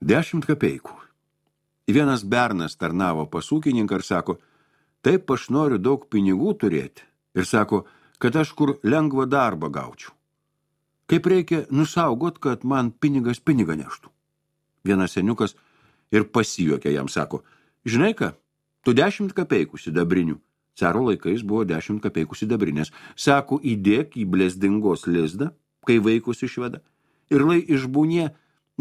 10 kapeikų. Vienas bernas tarnavo pas ūkininką ir sako, taip aš noriu daug pinigų turėti. Ir sako, kad aš kur lengvą darbą gaučiau. Kaip reikia nusaugot, kad man pinigas pinigą neštų. Vienas seniukas ir pasijuokė jam, sako, žinai ką, tu 10 kapeikų sidabrinių. Caro laikais buvo 10 kapeikų sidabrinės. Sako, įdėk į blezdingos lizdą, kai vaikus išveda, ir lai išbūnie,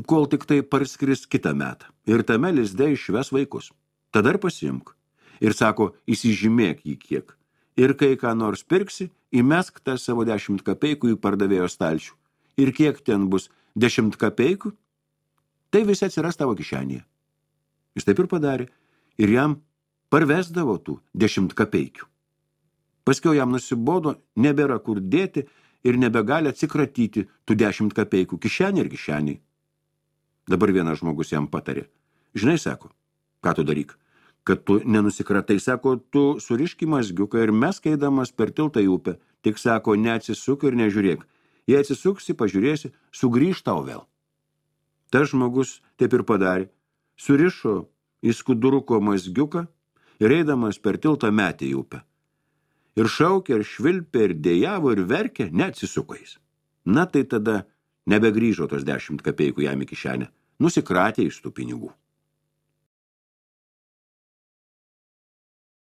kol tik tai parskris kitą metą. Ir tame lizde išves vaikus. Tada ir pasiimk. Ir sako, įsižymėk jį kiek. Ir kai ką nors pirksi, įmesk tą savo 10 kapeikų į pardavėjo stalčių. Ir kiek ten bus 10 kapeikų, tai visi atsiras tavo kišenėje. Jis taip ir padarė. Ir jam parvesdavo tų 10 kapeikių. Paskiau jam nusibodo, nebėra kur dėti ir nebegali atsikratyti tų 10 kapeikų kišenį ir kišenį. Dabar vienas žmogus jam patarė. Žinai, sako, ką tu daryk? Kad tu nenusikratai, sako, tu suriški mazgiuką ir mes eidamas per tiltą į upę. Tik sako, neatsisuk ir nežiūrėk. Jei atsisuksi, pažiūrėsi, sugrįž tau vėl. Tas žmogus taip ir padarė. Surišo į skuduruko mazgiuką ir eidamas per tiltą metė į upę. Ir šaukė, ir švilpė, ir dėjavo, ir verkė, neatsisukais. Na tai tada nebegrįžo tos 10 kapeikų jam į kišenę. Nusikratė iš tų pinigų.